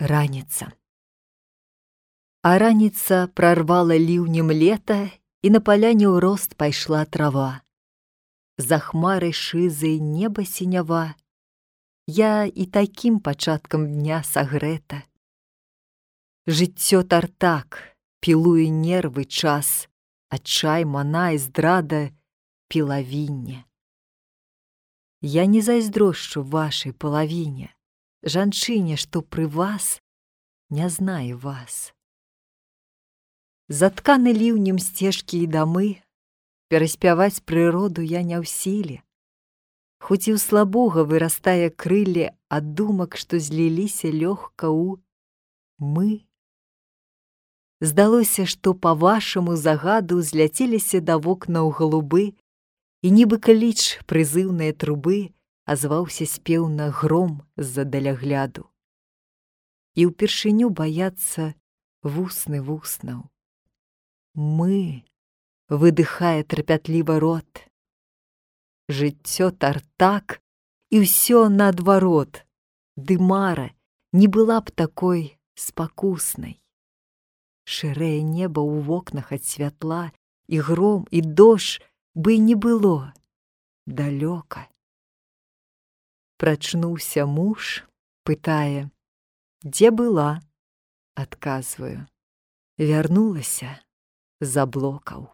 Раніца. А раніца прарвала ліўнем лета, і на паляне ў рост пайшла трава. За хмарай шызай неба сінява, я і такім пачаткам дня сагрэта. Жыццё тартак, пілуе нервы час, адчай, мана і здрада пілавінне. Я не зайздрошчу вашай палавіне, жанчыне, што пры вас не знае вас. Затканы ліўнем сцежкі і дамы, пераспяваць прыроду я не ў сіле. Хоць і ў слабога вырастае крылле ад думак, што зліліся лёгка ў мы. Здалося, што па вашаму загаду зляцеліся да вокнаў галубы, і нібы кліч прызыўныя трубы азваўся спеўна гром з-за далягляду. І ўпершыню баяцца вусны вуснаў. Мы, выдыхае трапятліва рот. Жыццё тартак, і ўсё наадварот, ды мара не была б такой спакуснай. Шэрае неба ў вокнах ад святла, і гром, і дождж бы не было далёка. Прачнуўся муж, пытае: дзе была? Адказваю: вярнулася з аблокаў.